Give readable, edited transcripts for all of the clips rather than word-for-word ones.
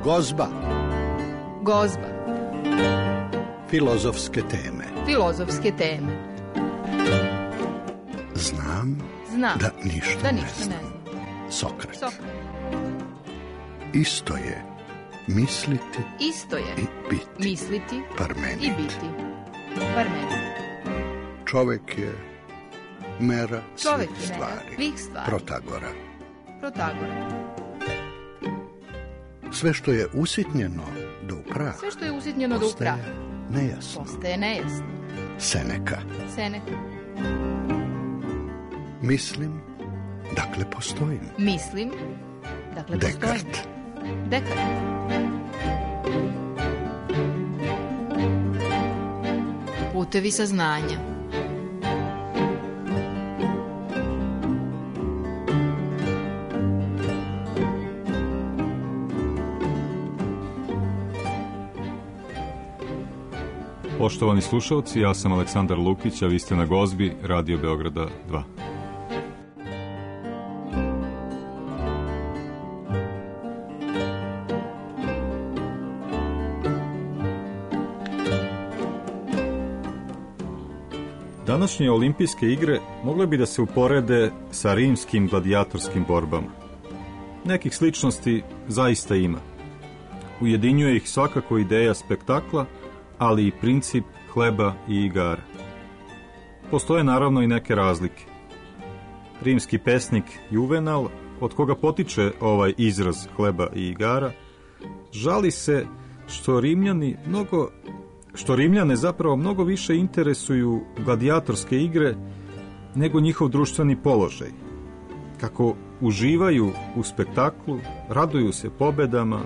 Gozba. Gozba. Filozofske teme. Filozofske teme. Znam da ništa ne znam. Sokrat. Isto je misliti i biti. Misliti Parmenid. i biti. Parmenid. Čovek je mera Čovek svih je mera stvari. svih stvari. Protagora. Sve što je usitnjeno do prah. Sve što je usitnjeno do prah. Postaje nejasno. Seneka. Mislim, dakle postojim. Dekart. Putevi saznanja. Poštovani slušalci, ja sam Aleksandar Lukić, a vi ste na Gozbi, Radio Beograda 2. Današnje olimpijske igre mogle bi da se uporede sa rimskim gladijatorskim borbama. Nekih sličnosti zaista ima. Ujedinjuje ih svakako ideja spektakla, ali i princip hleba i igara. Postoje naravno i neke razlike. Rimski pesnik Juvenal, od koga potiče ovaj izraz hleba i igara, žali se što Rimljane zapravo mnogo više interesuju gladijatorske igre nego njihov društveni položaj. Kako uživaju u spektaklu, raduju se pobedama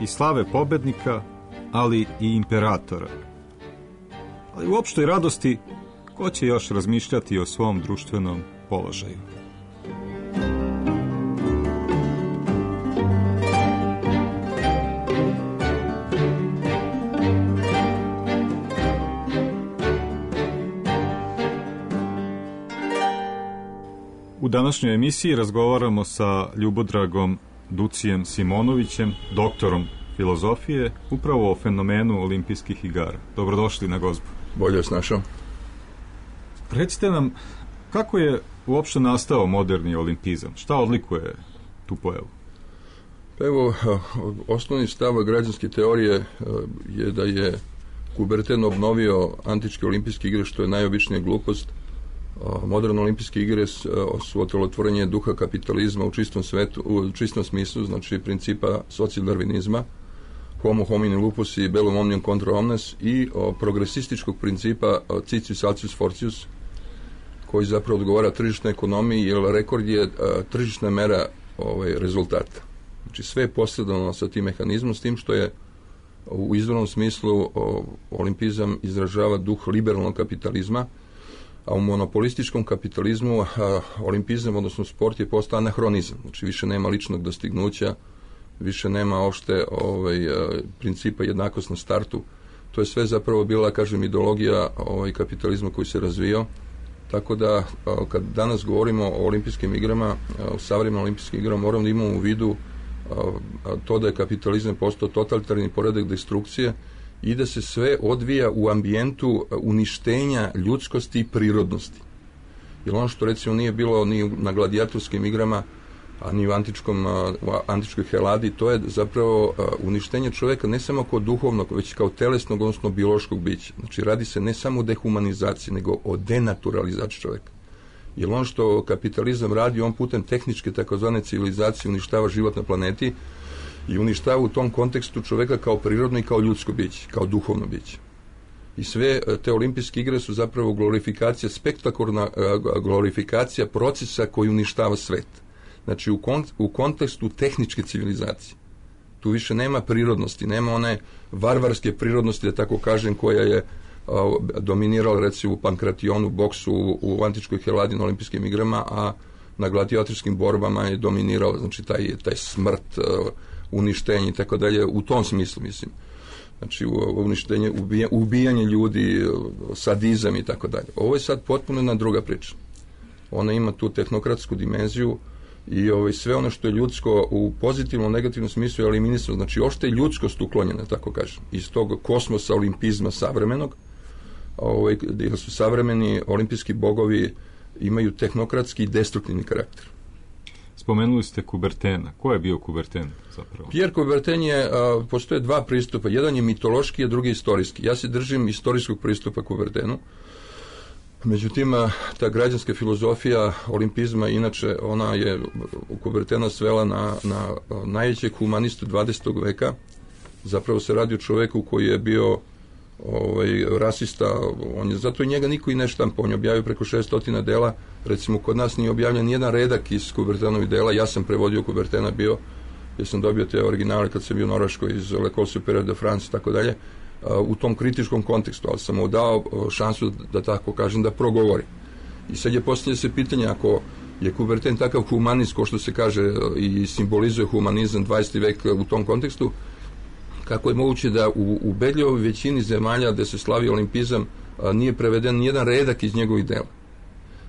i slave pobednika, ali i imperatora. Ali u opštoj radosti, ko će još razmišljati o svom društvenom položaju? U današnjoj emisiji razgovaramo sa Ljubodragom Ducijem Simonovićem, doktorom filozofije, upravo o fenomenu olimpijskih igara. Dobrodošli na Gozbu. Bolje vas našao. Recite nam, kako je uopšte nastao moderni olimpizam? Šta odlikuje tu pojavu? Pa evo, osnovni stav građanske teorije je da je Kuberten obnovio antičke olimpijske igre, što je najobičnija glupost. Moderne olimpijske igre su otelotvorenje duha kapitalizma u čistom smislu, znači principa socijaldarvinizma, homo homini lupus i bellum omnium contra omnes, i progresističkog principa citius altius fortius, koji zapravo odgovara tržišnoj ekonomiji, jer rekord je tržišna mera rezultata. Znači sve je posredovano sa tim mehanizmom, s tim što je u izvornom smislu olimpizam izražava duh liberalnog kapitalizma, a u monopolističkom kapitalizmu olimpizam, odnosno sport, je postao anahronizam. Znači više nema ličnog dostignuća, više nema opšte principa jednakost na startu. To je sve zapravo bila, kažem, ideologija kapitalizma koji se razvijao. Tako da, kad danas govorimo o olimpijskim igrama, o savremenim olimpijskim igrama, moramo da imamo u vidu to da je kapitalizam postao totalitarni poredak destrukcije i da se sve odvija u ambijentu uništenja ljudskosti i prirodnosti. Jer ono što recimo nije bilo ni na gladijatorskim igrama, a ni u antičkoj Heladi, to je zapravo uništenje čoveka ne samo kao duhovnog, već kao telesnog, odnosno biološkog bića. Znači radi se ne samo o dehumanizaciji, nego o denaturalizaciji čoveka. Jer ono što kapitalizam radi, on putem tehničke takozvane civilizacije uništava život na planeti i uništava u tom kontekstu čoveka kao prirodno i kao ljudsko biće, kao duhovno biće. I sve te olimpijske igre su zapravo glorifikacija, spektakularna glorifikacija procesa koji uništava svet. Znači u kontekstu tehničke civilizacije. Tu više nema prirodnosti, nema one varvarske prirodnosti, da tako kažem, koja je dominirala recimo u pankrationu, boksu, u antičkoj Heladi na olimpijskim igrama, a na gladiatorskim borbama je dominirao, znači taj smrt, uništenje i tako dalje, u tom smislu mislim. Znači uništenje, ubijanje ljudi, sadizam i tako dalje. Ovo je sad potpuno jedna druga priča. Ona ima tu tehnokratsku dimenziju, i sve ono što je ljudsko u pozitivnom, negativnom smislu je eliminisano. Znači, ošte je ljudskost uklonjena, tako kažem, iz tog kosmosa olimpizma savremenog, gdje su savremeni olimpijski bogovi imaju tehnokratski i destruktivni karakter. Spomenuli ste Coubertina. Ko je bio Coubertin zapravo? Pierre Coubertin postoje dva pristupa. Jedan je mitološki, a drugi je istorijski. Ja se držim istorijskog pristupa Coubertinu. Međutim, ta građanska filozofija olimpizma, inače, ona je Coubertina svela na najvećeg humanistu 20. veka. Zapravo se radi o čoveku koji je bio rasista, zato i njega niko i ne štampa, on je objavio preko 600 dela, recimo kod nas nije objavljen nijedan redak iz Coubertinovih dela, ja sam prevodio Coubertina bio, jer sam dobio te originale kad sam bio u Norveškoj iz L'École supérieure de France i tako dalje, u tom kritičkom kontekstu, ali sam mu dao šansu da tako kažem, da progovori. I sad je postavlja se pitanje, ako je Coubertin takav humanist, ko što se kaže i simbolizuje humanizam 20. vek u tom kontekstu, kako je moguće da u ubedljivoj većini zemalja gde se slavi olimpizam nije preveden nijedan redak iz njegovih dela.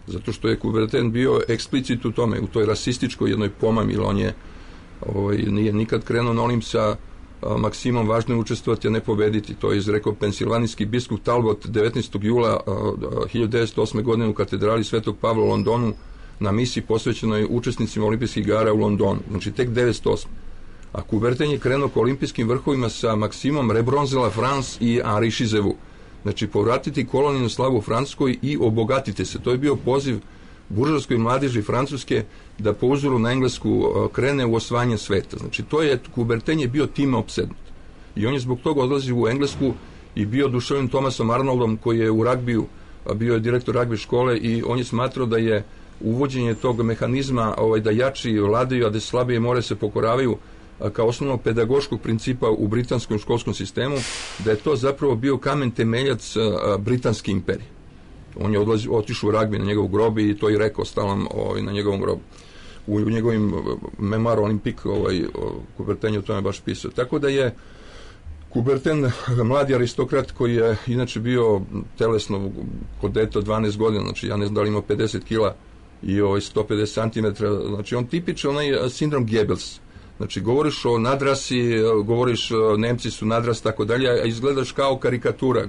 Zato što je Coubertin bio eksplicit u tome, u toj rasističkoj jednoj pomami, jer on je nije nikad krenuo na Olimp sa maksimom važno je učestvovati, a ne pobediti. To je izrekao pensilvanijski biskup Talbot 19. jula 1908. godine u katedrali Svetog Pavla u Londonu na misiji posvećenoj učesnicima olimpijskih igara u Londonu. Znači tek 1908. A Coubertin je krenuo k olimpijskim vrhovima sa maksimom Rebronze la France i Henri Chizevu. Znači, povratiti kolonijnu slavu u Francuskoj i obogatite se. To je bio poziv buržovskoj mladeži Francuske da po uzoru na Englesku krene u osvajanje sveta. Znači, Coubertin je bio time opsednut. I on je zbog toga odlazio u Englesku i bio oduševljen Thomasom Arnoldom, koji je u ragbiju, bio je direktor ragbi škole, i on je smatrao da je uvođenje tog mehanizma da jači vladaju, a da slabije more se pokoravaju, kao osnovnog pedagoškog principa u britanskom školskom sistemu, da je to zapravo bio kamen temeljac britanske imperije. On je otišao u ragbi na njegov grob i to je rekao stalom na njegovom grobu. U njegovim Memoir Olympique Coubertin je o tome baš pisao. Tako da je Coubertin mladi aristokrat koji je inače bio telesno kod dete 12 godina, znači ja ne znam da li ima 50 kila i 150 cm, znači on tipičan onaj sindrom Goebbels. Znači, govoriš o nadrasi, govoriš Nemci su nadras, tako dalje, a izgledaš kao karikatura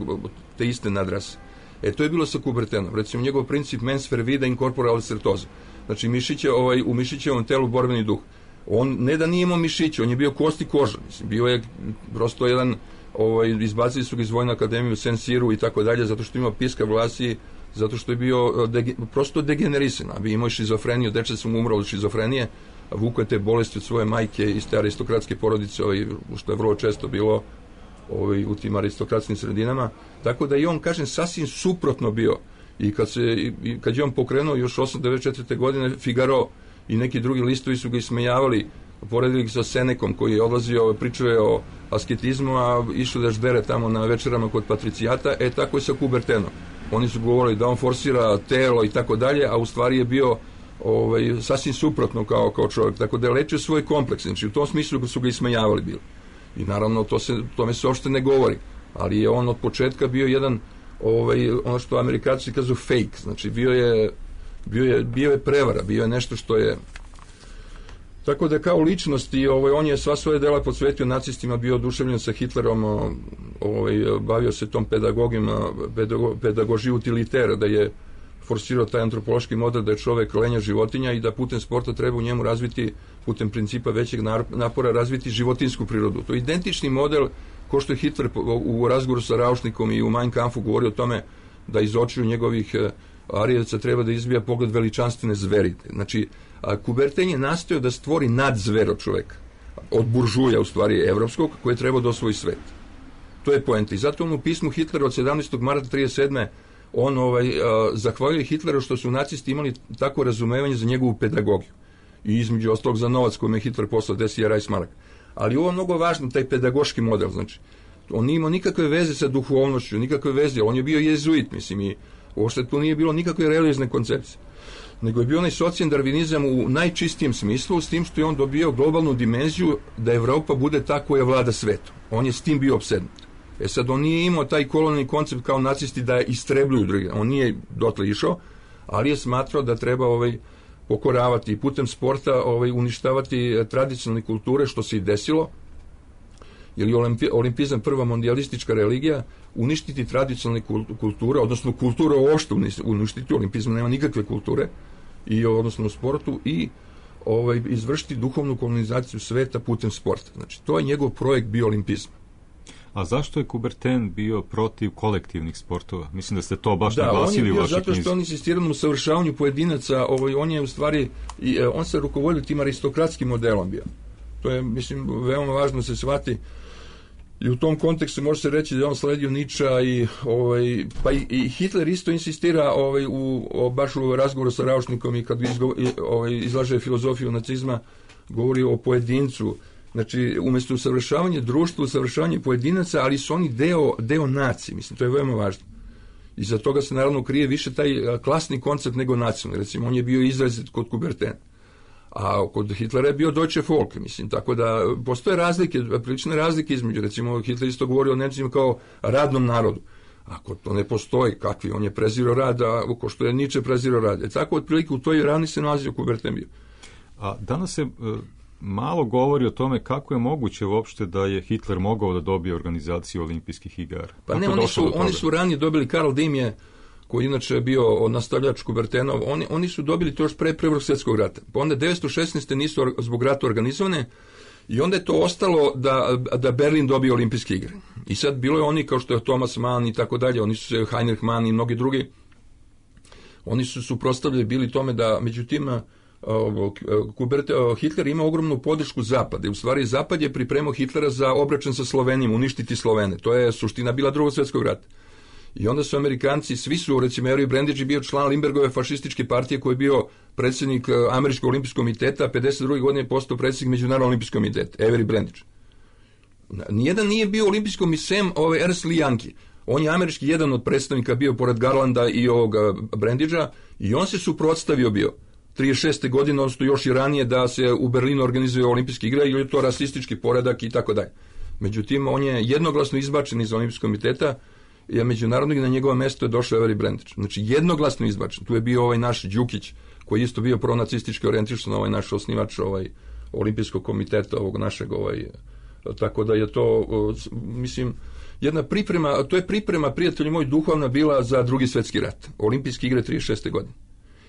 te iste nadrase. To je bilo sa Coubertinom. Recimo, njegov princip mens fervida in corpore certosa. Znači, u mišićevom telu borbeni duh. On ne da nije imao mišiće, on je bio kost i koža. Mislim, bio je prosto jedan, izbacili su ga iz Vojne akademije u Saint-Cyru i tako dalje, zato što ima piska vlasi, zato što je bio prosto degenerisan. Bi imao šizofreniju, dečak sam umro od šizofrenije, vukao te bolesti od svoje majke iz te aristokratske porodice, što je vrlo često bilo u tim aristokratskim sredinama. Tako da i on, kažem, sasvim suprotno bio. I kad je on pokrenuo još 1894. godine Figaro i neki drugi listovi su ga ismejavali, poredili sa Senekom koji je odlazio, pričao je o asketizmu, a išao da ždere tamo na večerama kod patricijata, tako je sa Coubertinom. Oni su govorili da on forsira telo i tako dalje, a u stvari je bio sasvim suprotno kao čovjek, tako da je lečio svoj kompleks, znači u tom smislu su ga ismejavali bili. I naravno tome se uopšte ne govori, ali je on od početka bio jedan, ono što Amerikanci kažu fake, znači bio je prevara, bio je nešto što je, tako da kao ličnost i on je sva svoje dela posvetio nacistima, bio oduševljen sa Hitlerom, bavio se tom pedagogiji utilitera, da je forsirao taj antropološki model da je čovek lenja životinja i da putem sporta treba u njemu razviti, putem principa većeg napora, razviti životinsku prirodu. To je identični model ko što je Hitler u razgovoru sa Raušnikom i u Mein Kampfu govorio o tome da iz očiju njegovih Arijevaca treba da izbija pogled veličanstvene zveri. Znači, Coubertin je nastojao da stvori nadzvero čoveka, od buržuja, u stvari evropskog, koji je trebao da osvoji svet. To je poenta. I zato on u pismu Hitlera od 17. marta 1937. on zahvaljuje Hitleru što su nacisti imali tako razumevanje za njegovu pedagogiju i između ostalog za novac kojim je Hitler poslao 10.000 Reichsmark. Ali ovo je mnogo važno, taj pedagoški model, znači on nije imao nikakve veze sa duhovnošću, nikakve veze, on je bio jezuit, mislim, i uopšte tu nije bilo nikakve religiozne koncepcije, nego je bio onaj socijaldarvinizam u najčistijem smislu, s tim što je on dobio globalnu dimenziju da Evropa bude ta koja vlada svetom. On je s tim bio opsednut. Sad, on nije imao taj kolonijalni koncept kao nacisti da istrebljuju druge. On nije dotle išao, ali je smatrao da treba pokoravati i putem sporta uništavati tradicionalne kulture, što se i desilo, jer je olimpizam prva mondijalistička religija, uništiti tradicionalne kulture, odnosno kulture uopšte uništiti, olimpizam nema nikakve kulture, i odnosno u sportu, i izvršiti duhovnu kolonizaciju sveta putem sporta. Znači, to je njegov projekt bio olimpizam. A zašto je Coubertin bio protiv kolektivnih sportova? Mislim da ste to baš naglasili u vašoj knjizi. Zato što on insistirao na usavršavanju pojedinaca, on je u stvari, on se rukovodio tim aristokratskim modelom bio. To je, mislim, veoma važno da se shvati. I u tom kontekstu može se reći da je on sledio Niča pa i Hitler isto insistira baš u razgovoru sa Raušnikom i kad izlaže filozofiju nacizma, govori o pojedincu. Znači, umjesto usavršavanje društva, usavršavanje pojedinaca, ali su oni deo nacije. Mislim, to je veoma važno. I za toga se naravno krije više taj klasni koncept nego nacionalni. Recimo, on je bio izrazit kod Coubertina. A kod Hitlera je bio Deutsche Volk, mislim, tako da postoje prilične razlike između, recimo Hitler isto govori o Nemcima kao radnom narodu. Ako to ne postoji, kakvi, on je prezirao rad, ko što je Nietzsche prezirao rad. Tako otprilike u toj ravni se nalazio Coubertin bio. A danas se malo govori o tome kako je moguće uopšte da je Hitler mogao da dobije organizaciju olimpijskih igara. Pa ne, oni su ranije dobili, Karl Diem je, koji inače je bio nastavljač Coubertinov, oni su dobili to još pre Prvog svjetskog rata. Pa onda 1916. nisu zbog rata organizovane i onda je to ostalo da Berlin dobije olimpijske igre. I sad bilo je oni kao što je Thomas Mann i tako dalje, oni su se Heinrich Mann i mnogi drugi, oni su suprotstavljeni bili tome da, međutim, Hitler ima ogromnu podršku Zapada. U stvari Zapad je pripremao Hitlera za obračun sa Slovenijom, uništiti Slovene. To je suština bila Drugog svjetskog rata. I onda su Amerikanci, svi su, recimo, Avery Brandage je bio član Lindberghove fašističke partije koji je bio predsjednik Američkog olimpijskog komiteta, a 52. godine je postao predsjednik Međunarodnog olimpijskog komiteta, Avery Brandage. Nijedan nije bio olimpijskom misem Ernst Lee Yankee. On je američki jedan od predstavnika bio pored Garlanda i ovog Brandagea i on se suprotstavio bio 36. godine, odnosno još i ranije, da se u Berlinu organizuje olimpijske igre ili je to rasistički poredak i tako dalje. Međutim, on je jednoglasno izbačen iz olimpijskog komiteta, je međunarodnog i na njegovo mjesto je došao Avery Brandage. Znači, jednoglasno izbačen. Tu je bio naš Đukić, koji je isto bio pronacistički orijentiran, naš osnivač olimpijskog komiteta, ovog našeg, tako da je to, mislim, jedna priprema, to je priprema, prijatelji moji, duhovna bila za Drugi svjetski rat. Olimpijske igre 36. godine.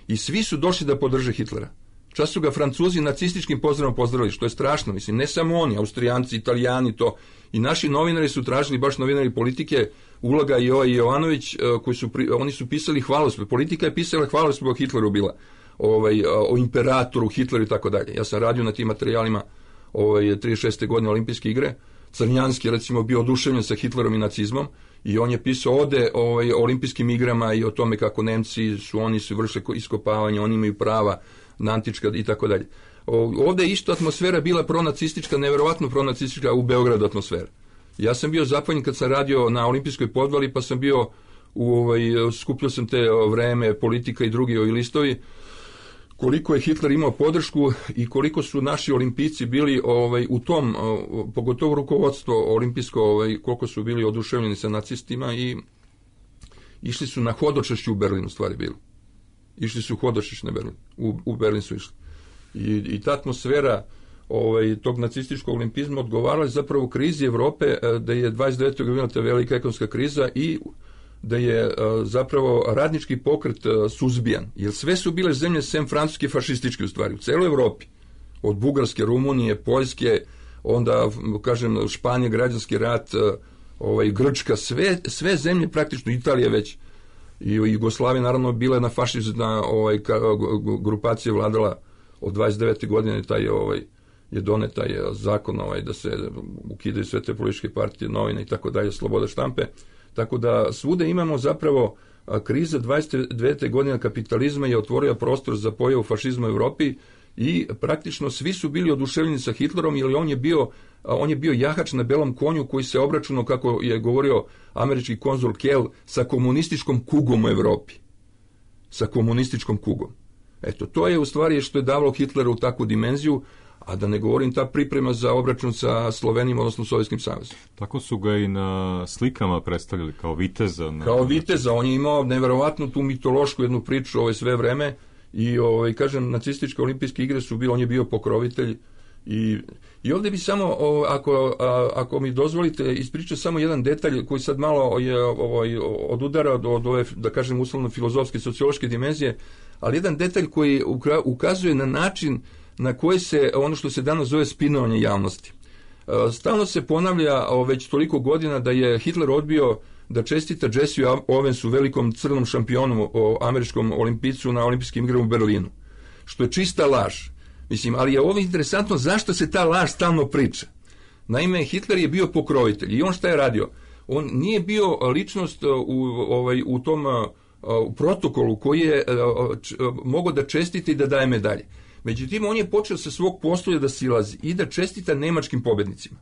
I svi su došli da podrže Hitlera. Čas su ga Francuzi nacističkim pozdravom pozdravili, što je strašno, mislim, ne samo oni, Austrijanci, Italijani, to. I naši novinari su tražili, baš novinari politike, Ulaga i Jovanović, oni su pisali hvalospjev. Politika je pisala hvalospjev o Hitleru bila, o imperatoru, Hitleru i tako dalje. Ja sam radio na tim materijalima 36. godine olimpijske igre. Crnjanski, recimo, bio oduševljen sa Hitlerom i nacizmom i on je pisao ode o olimpijskim igrama i o tome kako Nemci su vršili iskopavanje, oni imaju prava na antička i tako dalje. Ovdje je isto atmosfera bila pronacistička, neverovatno pronacistička u Beogradu atmosfera. Ja sam bio zapanjen kad sam radio na olimpijskoj podvali, pa sam bio skupljao sam te Vreme, Politika i drugi listovi, koliko je Hitler imao podršku i koliko su naši olimpijci bili u tom, pogotovo rukovodstvo olimpijsko, koliko su bili oduševljeni sa nacistima i išli su na hodočašću u Berlinu, stvari bili. Išli su hodočašću na Berlin. U Berlin su išli. I ta atmosfera tog nacističkog olimpizma odgovarala je zapravo krizi Evrope, da je 29. bila ta velika ekonomska kriza i da je zapravo radnički pokret suzbijan. Jer sve su bile zemlje sem francuske fašističke u stvari, u celoj Evropi. Od Bugarske, Rumunije, Poljske, onda, kažem, Španije, građanski rat, Grčka, sve zemlje praktično, Italija već, i Jugoslavija naravno bila na fašizna grupacija vladala od 29. godine, je donet taj zakon da se ukidaju sve te političke partije, novine i tako dalje, sloboda štampe. Tako da svude imamo zapravo kriza 29. godine kapitalizma je otvorila prostor za pojavu fašizma u Europi i praktično svi su bili oduševljeni sa Hitlerom jer on je bio jahač na belom konju koji se obračunao, kako je govorio američki konzul Kell, sa komunističkom kugom u Europi. Sa komunističkom kugom. Eto, to je u stvari što je davalo Hitleru takvu dimenziju, a da ne govorim ta priprema za obračun sa Slovenijom, odnosno Sovjetskim savezom. Tako su ga i na slikama predstavili, kao viteza. Kao viteza, on je imao neverovatnu tu mitološku jednu priču sve vreme i kažem, nacističke olimpijske igre su bile, on je bio pokrovitelj. I ovdje bi samo, ako mi dozvolite, ispričati samo jedan detalj koji sad malo je odudara od ove, da kažem, uslovno filozofske, sociološke dimenzije, ali jedan detalj koji ukazuje na način na koji se, ono što se danas zove spinovanje javnosti. Stalno se ponavlja već toliko godina da je Hitler odbio da čestita Jesse Owensu, velikom crnom šampionu, američkom olimpijcu na olimpijskim igrama u Berlinu, što je čista laž. Mislim, ali je ovo interesantno zašto se ta laž stalno priča. Naime, Hitler je bio pokrovitelj i on šta je radio? On nije bio ličnost u tom u protokolu koji je mogao da čestiti i da daje medalje. Međutim, on je počeo sa svog postolja da silazi i da čestita nemačkim pobednicima.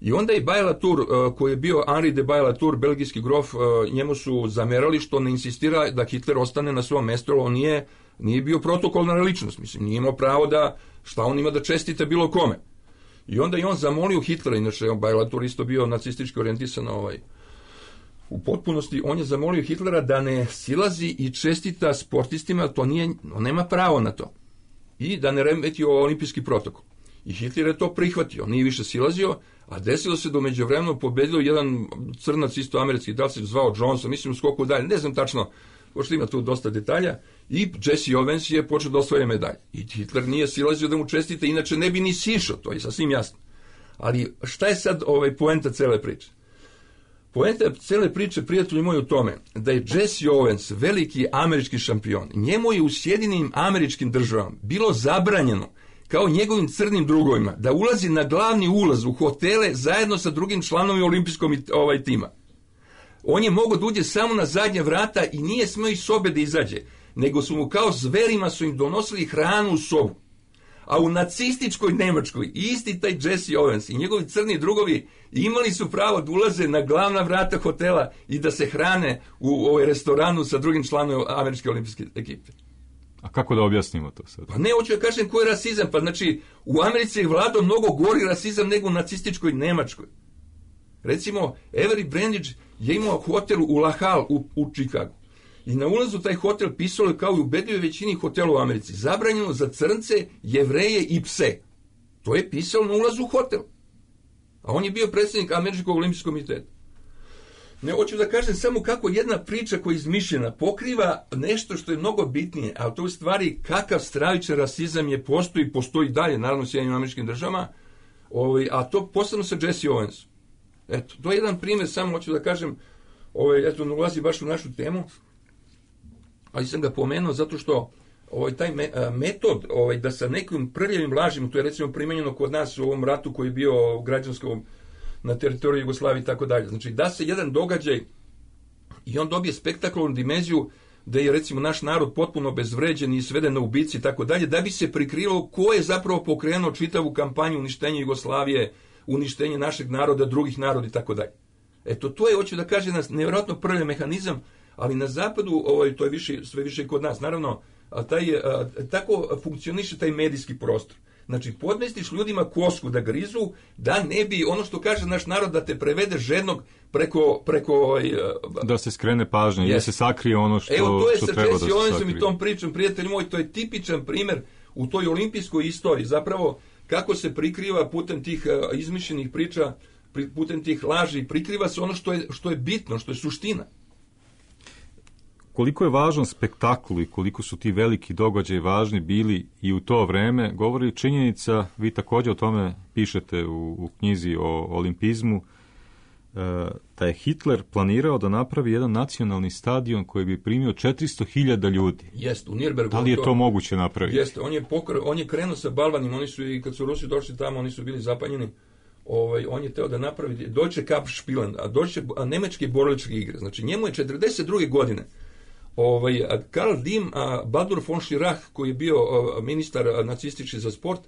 I onda je Baje-Latour, koji je bio Henri de Baje-Latour, belgijski grof, njemu su zamerali što ne insistira da Hitler ostane na svom mjestu, on nije bio protokolna ličnost, mislim, nije imao pravo da, šta on ima da čestita bilo kome. I onda je on zamolio Hitlera, inače Baje-Latour isto bio nacistički orijentisan u potpunosti, on je zamolio Hitlera da ne silazi i čestita sportistima, on nema pravo na to. I da ne remeti olimpijski protokol. I Hitler je to prihvatio, on nije više silazio, a desilo se da međuvremenu pobedio jedan crnac isto američki, da li se zvao Johnson, mislim u skoku dalje, ne znam tačno, pošto ima tu dosta detalja, i Jesse Owens je počeo da osvaja medalje. I Hitler nije silazio da mu čestite, inače ne bi ni sišao, to je sasvim jasno. Ali šta je sad poenta cele priče? Poenta cele priče, prijatelji moji, u tome da je Jesse Owens, veliki američki šampion, njemu je u Sjedinjenim Američkim Državama bilo zabranjeno, kao njegovim crnim drugovima, da ulazi na glavni ulaz u hotele zajedno sa drugim članovima olimpijskog tima. On je mogao da uđe samo na zadnje vrata i nije smeo iz sobe da izađe, nego su mu kao zverima su im donosili hranu u sobu. A u nacističkoj Nemačkoj isti taj Jesse Owens i njegovi crni drugovi imali su pravo da ulaze na glavna vrata hotela i da se hrane u restoranu sa drugim članovima američke olimpijske ekipe. A kako da objasnimo to sad? Pa ne, hoću da kažem koji je rasizam. Pa znači, u Americi je vladao mnogo gori rasizam nego u nacističkoj Nemačkoj. Recimo, Avery Brandage je imao hotel u La Halle u Chicagu. I na ulazu taj hotel pisalo je kao i u ubedljivoj većini hotela u Americi. Zabranjeno za crnce, Jevreje i pse. To je pisalo na ulazu u hotel. A on je bio predsjednik Američkog olimpijskog komiteta. Ne, hoću da kažem samo kako jedna priča koja je izmišljena pokriva nešto što je mnogo bitnije, a to je u stvari kakav stravičan rasizam je postoji dalje, naravno u Sjedinjenim Američkim Državama, a to posebno sa Jesse Owensom. Eto, to je jedan primjer, samo hoću da kažem, eto, ne ulazi baš u našu temu, ali sam ga pomenuo zato što taj metod da sa nekim prljavim lažima, to je recimo primenjeno kod nas u ovom ratu koji je bio u građanskom na teritoriji Jugoslavije i tako dalje. Znači, da se jedan događaj i on dobije spektakularnu dimenziju da je recimo naš narod potpuno bezvređen i sveden na ubici i tako dalje, da bi se prikrilo ko je zapravo pokrenuo čitavu kampanju uništenja Jugoslavije, uništenje našeg naroda, drugih naroda i tako dalje. Eto, to je, hoću da kažem, nevjerojatno prljav mehanizam, ali na zapadu, to je sve više kod nas, naravno, tako funkcioniše taj medijski prostor. Znači, podmestiš ljudima kosku da grizu, da ne bi, ono što kaže naš narod, da te prevede žednog preko da se skrene pažnje, da se sakrije ono što treba da se sakrije. Evo, to je sa Jesse Owensom i tom pričom, prijatelji moji, to je tipičan primjer u toj olimpijskoj istoriji, zapravo kako se prikriva putem tih izmišljenih priča, putem tih laži, prikriva se ono što je bitno, što je suština. Koliko je važan spektakl i koliko su ti veliki događaji važni bili i u to vreme, govori činjenica, vi također o tome pišete u knjizi o olimpizmu, da je Hitler planirao da napravi jedan nacionalni stadion koji bi primio 400.000 ljudi. Jeste, u Nürnbergu. Da li je to moguće napraviti? Jeste, on je krenuo sa balvanima, oni su i kad su Rusi došli tamo, oni su bili zapanjeni. On je teo da napravi Deutsche Kampfspielen, a nemačke borilačke igre. Znači, njemu je 42. godine Karl Diem, Baldur von Schirach, koji je bio ministar nacistički za sport,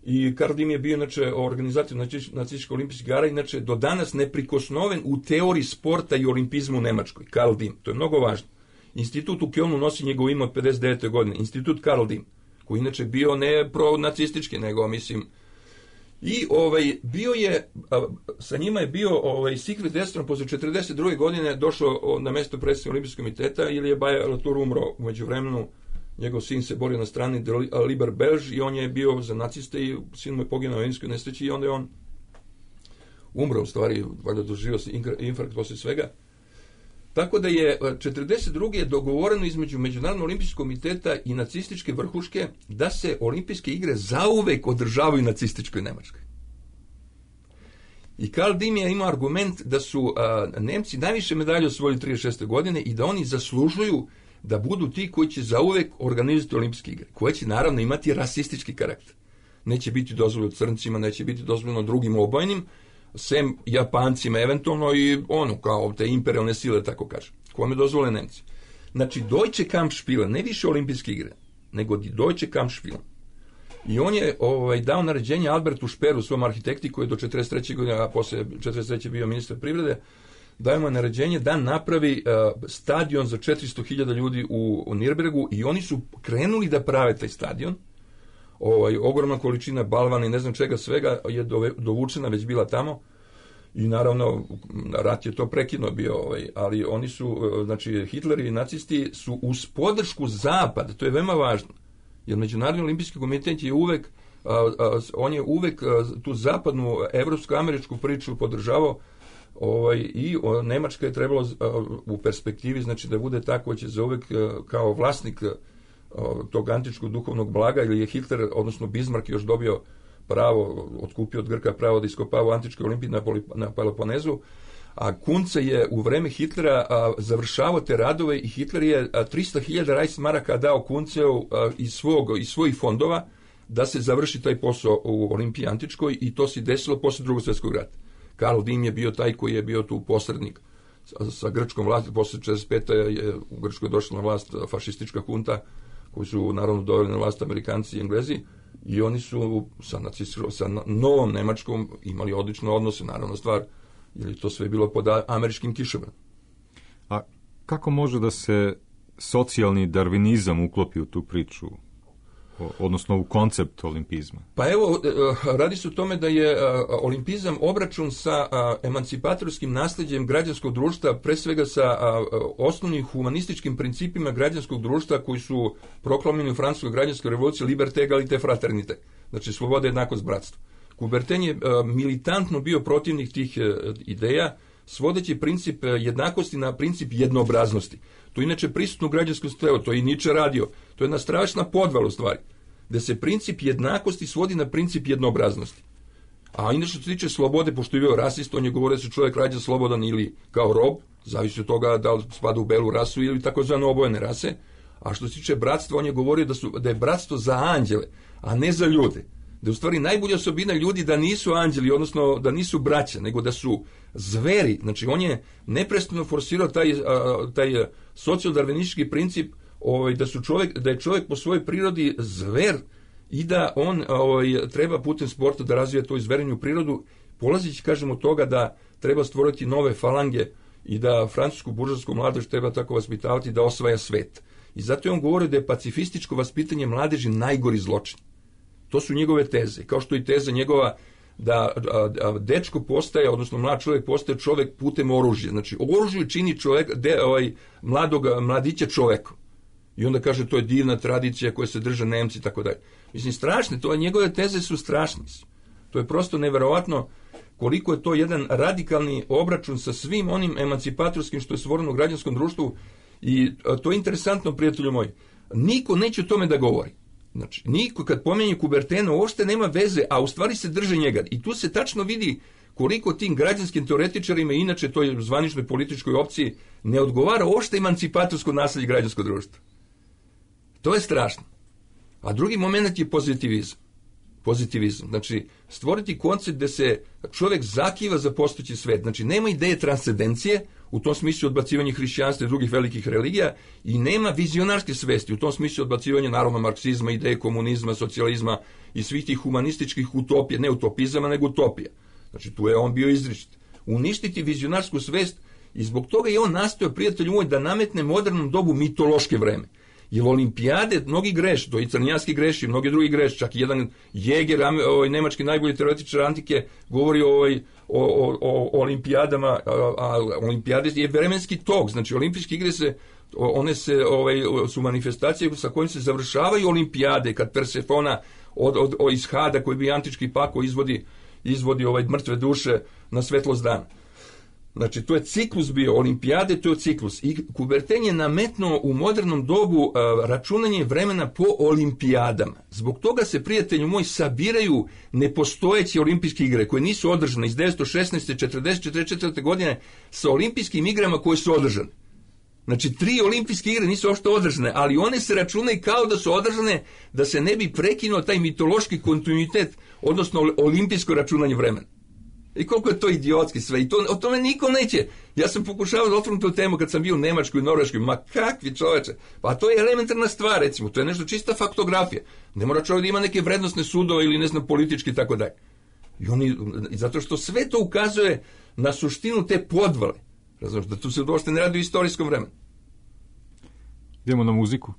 i Karl Diem je bio inače organizator nacističkih olimpijskih igara, inače do danas neprikosnoven u teoriji sporta i olimpizmu u Nemačkoj. Karl Diem, to je mnogo važno. Institut u Kölnu nosi njegov ime od 59. godine, Institut Karl Diem, koji inače bio ne pro-nacistički, nego, mislim, i bio je, sa njima je bio Siegfried Western posle 42. godine došao na mesto predsjednika olimpijskog komiteta, ili je Baje-Latour umro u međuvremenu njegov sin se borio na strani de Liber Belge i on je bio za naciste i sin mu je poginuo u avijanskoj nesreći i onda je on umro, u stvari, valjda doživio se infarkt poslije svega. Tako da je 1942. dogovoreno između Međunarodnog olimpijskog komiteta i nacističke vrhuške da se olimpijske igre zauvek održavaju u nacističkoj Nemačkoj. I Karl Diem je imao argument da su Nemci najviše medalje osvojili 1936. godine i da oni zaslužuju da budu ti koji će zauvek organizovati olimpijske igre, koje će naravno imati rasistički karakter. Neće biti dozvoljeno crncima, neće biti dozvoljeno drugim obojenim, sem Japancima eventualno i kao te imperialne sile, tako kaže. Kome dozvole Nemci? Znači, Deutsche Kampfspiele, ne više olimpijske igre, nego Deutsche Kampfspiele. I on je dao naređenje Albertu Speeru, svom arhitekti, koji je do 1943. godine, a posle 1943. bio ministar privrede, daje mu naređenje da napravi stadion za 400.000 ljudi u Nürnbergu i oni su krenuli da prave taj stadion. Ogromna količina balvana i ne znam čega svega je dovučena, već bila tamo i naravno rat je to prekinuo bio, ali oni su, znači Hitler i nacisti su uz podršku Zapada, to je veoma važno, jer Međunarodni olimpijski komitet je uvek, on je uvek tu zapadnu evropsko-američku priču podržavao i Nemačka je trebalo u perspektivi, znači da bude tako, će za uvek kao vlasnik tog antičkog duhovnog blaga, ili je Hitler, odnosno Bismarck još dobio pravo, otkupio od Grka pravo da iskopava antičke olimpije na Peloponezu, a Kunce je u vreme Hitlera završavao te radove i Hitler je 300.000 Reichsmaraka dao Kunceu iz svojih fondova da se završi taj posao u Olimpiji antičkoj i to se desilo posle Drugog svjetskog rata. Karl Diem je bio taj koji je bio tu posrednik sa grčkom vlasti. Posle 1945. je u Grčkoj došla na vlast fašistička hunta, koji su naravno doveli na vlast Amerikanci i Englezi, i oni su sa novom Nemačkom imali odlične odnose, naravno stvar, jer je to sve bilo pod američkim kišobranom. A kako može da se socijalni darvinizam uklopi u tu priču, odnosno u koncept olimpizma? Pa evo, radi se o tome da je olimpizam obračun sa emancipatorskim nasljeđem građanskog društva, pre svega sa osnovnim humanističkim principima građanskog društva koji su proklamirani u francuskoj građanskoj revoluciji: liberté, égalité, fraternité. Znači, sloboda, jednakost, bratstvo. Coubertin je militantno bio protivnik tih ideja, svodeći princip jednakosti na princip jednoobraznosti. To je inače prisutno u građanskom strevu, to je i Nietzsche radio. To je jedna strašna podvala u stvari, da se princip jednakosti svodi na princip jednoobraznosti. A inače što se tiče slobode, pošto je bio rasist, on je govorio da se čovjek rađa slobodan ili kao rob, zavisi od toga da li spada u belu rasu ili takozvano obojene rase. A što se tiče bratstva, on je govorio da je bratstvo za anđele, a ne za ljude. Da je u stvari najbolja osobina ljudi da nisu anđeli, odnosno da nisu braća, nego da su zveri. Znači, on je neprestano forsirao taj socijaldarvinistički princip da je čovjek po svojoj prirodi zver i da on treba putem sporta da razvija tu zverenju prirodu, polazići, kažem, od toga da treba stvoriti nove falange i da francusku buržovsku mladež treba tako vaspitavati da osvaja svet. I zato je on govorio da je pacifističko vaspitanje mladeži najgori zločin. To su njegove teze, kao što i teza njegova da dečko postaje, odnosno mlad čovjek postaje čovjek putem oružja. Znači, oružje čini mladića čovekom. I onda kaže, to je divna tradicija koja se drže Nemci i tako dalje. Mislim, strašne, njegove teze su strašne. To je prosto neverovatno koliko je to jedan radikalni obračun sa svim onim emancipatorskim što je stvoreno u građanskom društvu. I to je interesantno, prijatelju moji. Niko neće o tome da govori. Znači, niko kad pomenje Coubertina uopšte nema veze, a u stvari se drže njega. I tu se tačno vidi koliko tim građanskim teoretičarima, inače toj zvaničnoj političkoj opciji, ne odgovara uopšte emancipatorsko nasljeđe građanskog društva. To je strašno. A drugi moment je pozitivizam. Znači, stvoriti koncept gde se čovjek zakiva za postojeći svet. Znači, nema ideje transcendencije, u tom smislu odbacivanje hrišćanstva i drugih velikih religija, i nema vizionarske svesti, u tom smislu odbacivanje naravno marksizma, ideje komunizma, socijalizma i svih tih humanističkih utopija, ne utopizama, nego utopija. Znači, tu je on bio izričit. Uništiti vizionarsku svest, i zbog toga je on nastojao, prijatelju moj, da nametne modernom dobu mitološke vreme. Jer olimpijade mnogi greše, to i Crnjanski greši, mnogi drugi greše, čak i jedan Jäger, nemački najbolji teoretičar antike, govori o olimpijadama, a olimpijade je vremenski tok, znači olimpijske igre se One su manifestacije sa kojim se završavaju olimpijade, kad Persefona iz Hada, koji bi antički pako izvodi mrtve duše na svetlost dana. Znači, to je ciklus bio, olimpijade, to je ciklus. I Coubertin je nametnuo u modernom dobu računanje vremena po olimpijadama. Zbog toga se, prijatelju moj, sabiraju nepostojeće olimpijske igre, koje nisu održane iz 1916. 40. 44. godine sa olimpijskim igrama koje su održane. Znači, 3 olimpijske igre nisu uopšte održane, ali one se računaju kao da su održane, da se ne bi prekinuo taj mitološki kontinuitet, odnosno olimpijsko računanje vremena. I koliko je to idiotski sve. I o tome niko neće. Ja sam pokušavao da otvorim tu temu kad sam bio u Nemačkoj i Norveškoj. Ma kakvi čoveče. Pa to je elementarna stvar, recimo. To je nešto čista faktografija. Ne mora čovjek da ima neke vrednostne sudove ili ne znam politički i tako dalje. I zato što sve to ukazuje na suštinu te podvale. Razumiješ, da tu se uopšte ne radi u istorijskom vremenu. Idemo na muziku.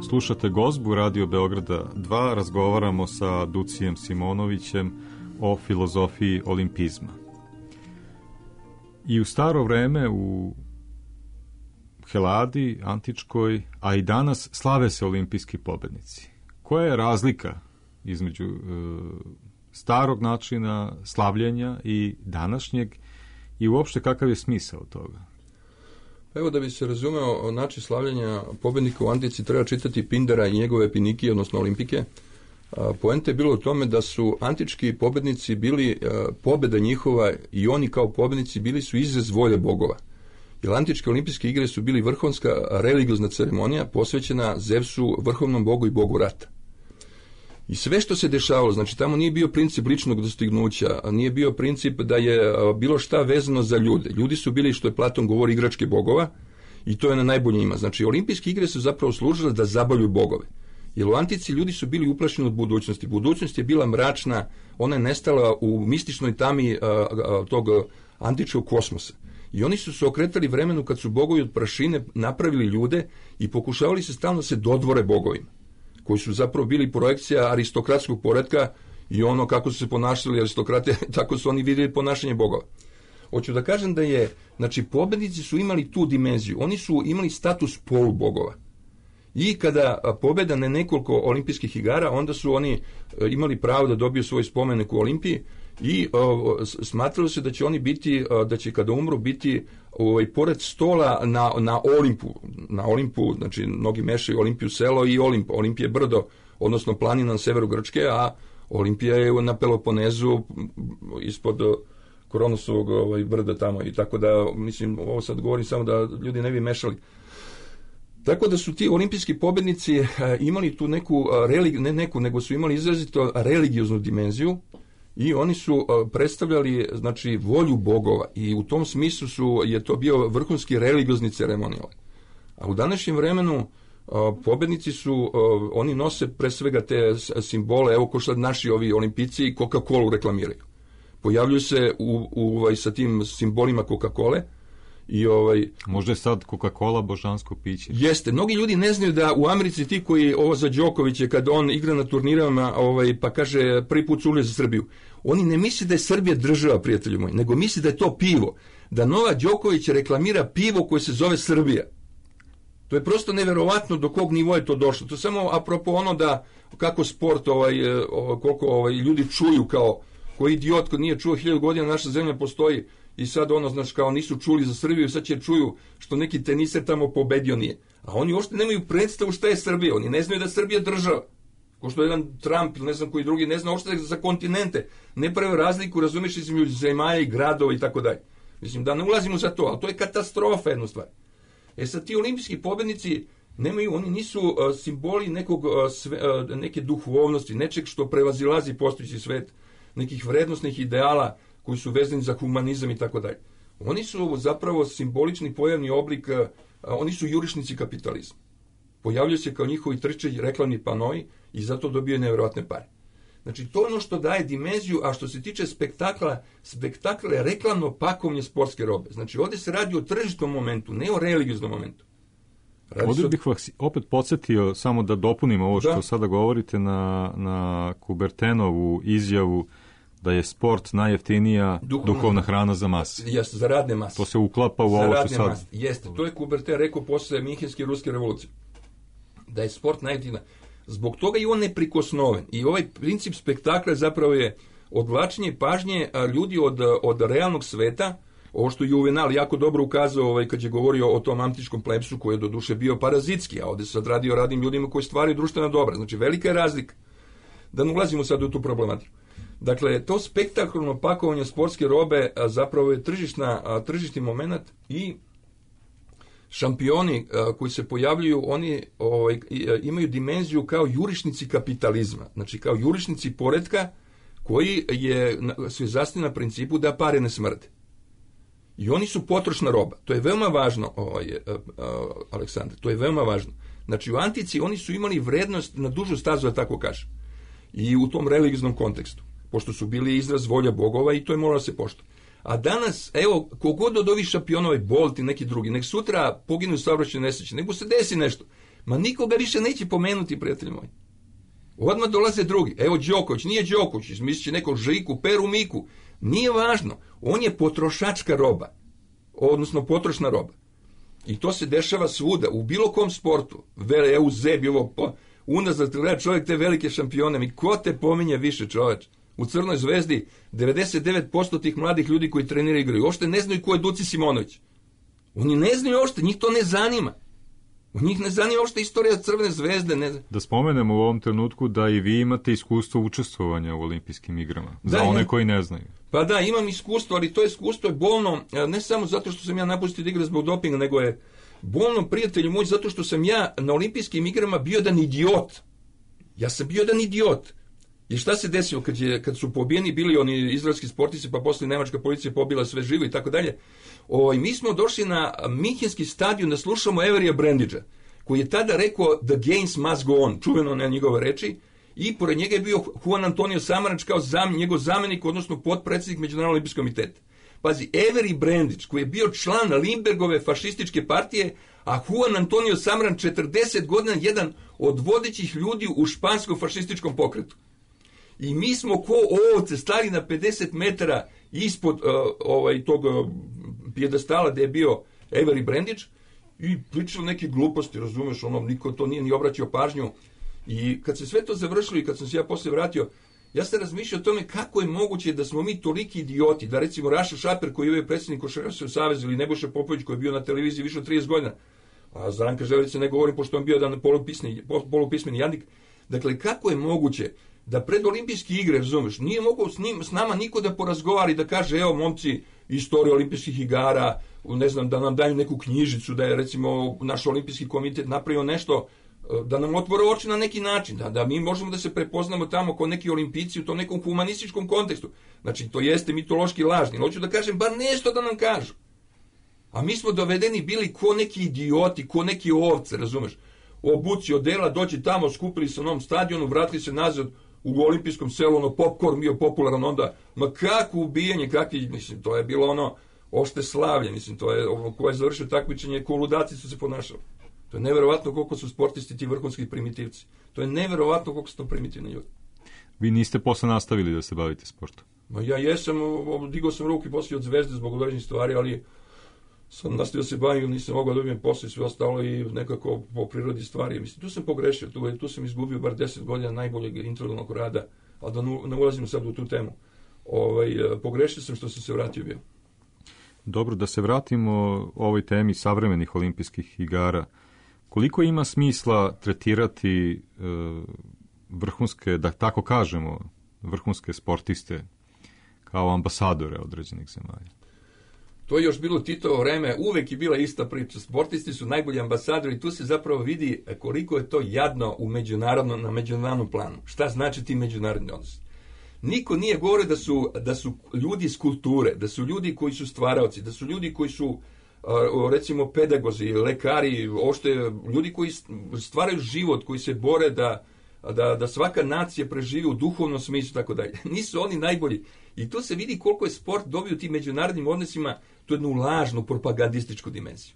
Slušate Gozbu Radio Beograda 2, razgovaramo sa Ducijem Simonovićem o filozofiji olimpizma. I u staro vreme u Heladi, antičkoj, a i danas slave se olimpijski pobednici. Koja je razlika između starog načina slavljenja i današnjeg i uopšte kakav je smisao toga? Evo, da bi se razumeo način slavljenja pobednika u antici, treba čitati Pindara i njegove Pinikije, odnosno olimpike. Poenta je bilo u tome da su antički pobednici bili, pobeda njihova i oni kao pobednici bili su izraz volje bogova. Jer antičke olimpijske igre su bili vrhunska religiozna ceremonija posvećena Zevsu, vrhovnom bogu i bogu rata. I sve što se dešavalo, znači tamo nije bio princip ličnog dostignuća, nije bio princip da je bilo šta vezano za ljude. Ljudi su bili, što je Platon govori, igračke bogova i to je na najbolje njima. Znači olimpijske igre su zapravo služile da zabavljuju bogove. Jer u antici ljudi su bili uplašeni od budućnosti. Budućnost je bila mračna, ona je nestala u mističnoj tami tog antičkog kosmosa. I oni su se okretali vremenu kad su bogovi od prašine napravili ljude i pokušavali se stalno se dodvore bogovima, koji su zapravo bili projekcija aristokratskog poretka i ono kako su se ponašali aristokrate, tako su oni vidjeli ponašanje bogova. Hoću da kažem da je, znači, pobednici su imali tu dimenziju, oni su imali status polubogova. I kada pobeda na nekoliko olimpijskih igara, onda su oni imali pravo da dobiju svoj spomenik u Olimpiji i smatralo se da će oni biti, da će kada umru biti pored stola na Olimpu, znači mnogi mešaju Olimpiju selo i Olimp. Olimpije je brdo, odnosno planina na severu Grčke, a Olimpija je na Peloponezu ispod Kronosovog brda tamo, i tako da, mislim, ovo sad govorim samo da ljudi ne bi mešali. Tako da su ti olimpijski pobednici imali tu nego su imali izrazito religioznu dimenziju i oni su predstavljali, znači, volju bogova i u tom smislu je to bio vrhunski religiozni ceremonijal. A u današnjem vremenu pobednici su, oni nose pre svega te simbole, evo ko što naši ovi olimpijci i Coca-Colu reklamiraju. Pojavljuju se sa tim simbolima Coca-Cole. Možda je sad Coca-Cola božansko piće. Jeste, mnogi ljudi ne znaju da u Americi ti koji, ovo za Đokovića, kad on igra na turnirama, pa kaže prvi put su ulje za Srbiju, oni ne misle da je Srbija država, prijatelji moji, nego misle da je to pivo, da Novak Đoković reklamira pivo koje se zove Srbija. To je prosto neverovatno do kog nivoa je to došlo. To je samo apropo ono da kako sport, koliko ljudi čuju kao koji idiot koji nije čuo 1000 godina naša zemlja postoji. I sad znači, kao nisu čuli za Srbiju, sad će čuju što neki teniser tamo pobedio nije. A oni uopšte nemaju predstavu šta je Srbija, oni ne znaju da je Srbija država. Ko što jedan Trump ili ne znam koji drugi, ne zna uopšte za kontinente. Ne prave razliku, razumiješ, između zemalja i gradova i tako dalje. Mislim, da ne ulazimo za to, ali to je katastrofa jedna stvar. Sad ti olimpijski pobednici nemaju, oni nisu simboli neke duhovnosti, nečeg što prevazilazi postojeći svet, nekih vrednostnih ideala koji su vezani za humanizam i tako dalje. Oni su zapravo simbolični pojavni oblik, oni su jurišnici kapitalizma. Pojavljaju se kao njihovi trčeći reklamni panoi i zato dobijaju nevjerojatne pare. Znači, to je ono što daje dimenziju, a što se tiče spektakla je reklamno pakovanje sportske robe. Znači, ovdje se radi o tržišnom momentu, ne o religioznom momentu. Ovdje bih vas opet podsjetio, samo da dopunim ovo što sada govorite, na Kubertenovu izjavu da je sport najjeftinija duhovna hrana za mase. Jeste, za radne mase. To se uklapa u ovo što sad. Jeste, to je Kuberten rekao posle Minhenske ruske revolucije. Da je sport najjeftinija. Zbog toga i on neprikosnoven. I ovaj princip spektakla zapravo je odvlačenje pažnje ljudi od realnog sveta, ovo što je Juvenal jako dobro ukazao kad je govorio o tom antičkom plepsu koji je doduše bio parazitski, a ovdje se sad radi o radnim ljudima koji stvaraju društvena dobra. Znači, velika je razlika. Da ne ulazimo sad u tu problematiku. Dakle, to spektakularno pakovanje sportske robe zapravo je tržišni moment i šampioni koji se pojavljuju, oni imaju dimenziju kao jurišnici kapitalizma, znači kao jurišnici poretka koji se zasniva na principu da pare ne smrde. I oni su potrošna roba. To je veoma važno, Aleksandar, to je veoma važno. Znači, u antici oni su imali vrednost na dužu stazu, da tako kažem, i u tom religioznom kontekstu, pošto su bili izraz volja bogova i to je moralo da se poštuje. A danas, evo, kogod od ovih šampionova, Bolt i neki drugi, nek sutra poginu u saobraćajnoj nesreći, nek mu se desi nešto. Ma nikoga više neće pomenuti, prijatelji moji. Odmah dolaze drugi. Evo Đoković, nije Đoković, mislit će nekog Žiku, Peru, Miku. Nije važno. On je potrošačka roba. Odnosno potrošna roba. I to se dešava svuda, u bilo kom sportu. EU, Zebi, unazad gleda čovjek te velike šampione. Mi ko te pominje više, čovječ? U Crnoj Zvezdi 99% tih mladih ljudi koji treniraju igraju uopšte ne znaju ko je Duci Simonović. Oni ne znaju uopšte, njih to ne zanima. U njih ne zanima uopšte istorija Crvene Zvezde. Da spomenemo u ovom trenutku da i vi imate iskustvo učestvovanja u olimpijskim igrama, za one koji ne znaju. Pa da, imam iskustvo, ali to iskustvo je bolno, ne samo zato što sam ja napustio da igram zbog dopinga, nego je bolno, prijatelju moj, zato što sam ja na olimpijskim igrama bio jedan idiot. Ja sam bio jedan idiot. I šta se desilo kad su pobijeni bili oni izraelski sportisti, pa posle nemačka policija pobila sve živo i tako dalje. Mi smo došli na Minhenski stadion da slušamo Everija Brandidgea, koji je tada rekao "The games must go on", čuveno na njegove reči, i pored njega je bio Juan Antonio Samaranč kao njegov zamenik, odnosno potpredsjednik Međunarodnog olimpijskog komiteta. Pazi, Avery Brandidge, koji je bio član Lindberghove fašističke partije, a Juan Antonio Samaranč 40 godina jedan od vodećih ljudi u španskom fašističkom pokretu. I mi smo ko ovce stali na 50 metara ispod tog pijedestala gde je bio Avery Brandidge i pričali neke gluposti, razumeš, niko to nije ni obraćao pažnju. I kad se sve to završilo i kad sam se ja posle vratio, ja sam razmišljao o tome kako je moguće da smo mi toliki idioti, da recimo Raša Šaper koji je predsjednik Košarkaškog saveza ili Nebojša Popović koji je bio na televiziji više od 30 godina, a za Ranka Željevića ne govorim pošto on bio jedan polupismeni jadnik. Dakle, kako je moguće da pred olimpijske igre, razumeš, nije mogao s nama niko da porazgovara i da kaže, evo momci, istorija olimpijskih igara, ne znam, da nam daju neku knjižicu, da je recimo naš olimpijski komitet napravio nešto, da nam otvore oči na neki način, da mi možemo da se prepoznamo tamo kao neki olimpijci u tom nekom humanističkom kontekstu. Znači, to jeste mitološki lažni. Hoću da kažem, bar nešto da nam kažu. A mi smo dovedeni bili ko neki idioti, ko neki ovce, razumeš? Obuci odela, dođi tamo, skupili se na onom stadionu, vratili se nazad u olimpijskom selu, popcorn bio popularan onda. Ma kako ubijanje, mislim, to je bilo ošte slavlje, mislim, to je ko je završio takmičenje, ko ludaci su se ponašali. To je neverovatno koliko su sportisti ti vrhunski primitivci. To je neverovatno koliko su to primitivni ljudi. Vi niste posle nastavili da se bavite sportom? Ma ja jesam, digao sam ruku i poslije od Zvezde zbog određenih stvari, ali sam nastavio da se bavim, nisam mogao da dobijem posle sve ostalo i nekako po prirodi stvari. Mislim, tu sam pogrešio, tu sam izgubio bar 10 godina najboljeg intelektualnog rada, ali da ne ulazim sad u tu temu. Pogrešio sam što sam se vratio bio. Dobro, da se vratimo ovoj temi savremenih olimpijskih igara. Koliko ima smisla tretirati vrhunske, da tako kažemo, vrhunske sportiste kao ambasadore određenih zemalja? To je još bilo Titovo vreme, uvek je bila ista priča. Sportisti su najbolji ambasadori i tu se zapravo vidi koliko je to jadno na međunarodnom planu. Šta znači ti međunarodni odnos? Niko nije govorio da su ljudi iz kulture, da su ljudi koji su stvaraoci, da su ljudi koji su recimo pedagozi, lekari, ljudi koji stvaraju život, koji se bore da svaka nacija preživi u duhovnom smislu, tako dalje. Nisu oni najbolji. I tu se vidi koliko je sport dobio tim međunarodnim odnosima tu jednu lažnu propagandističku dimenziju.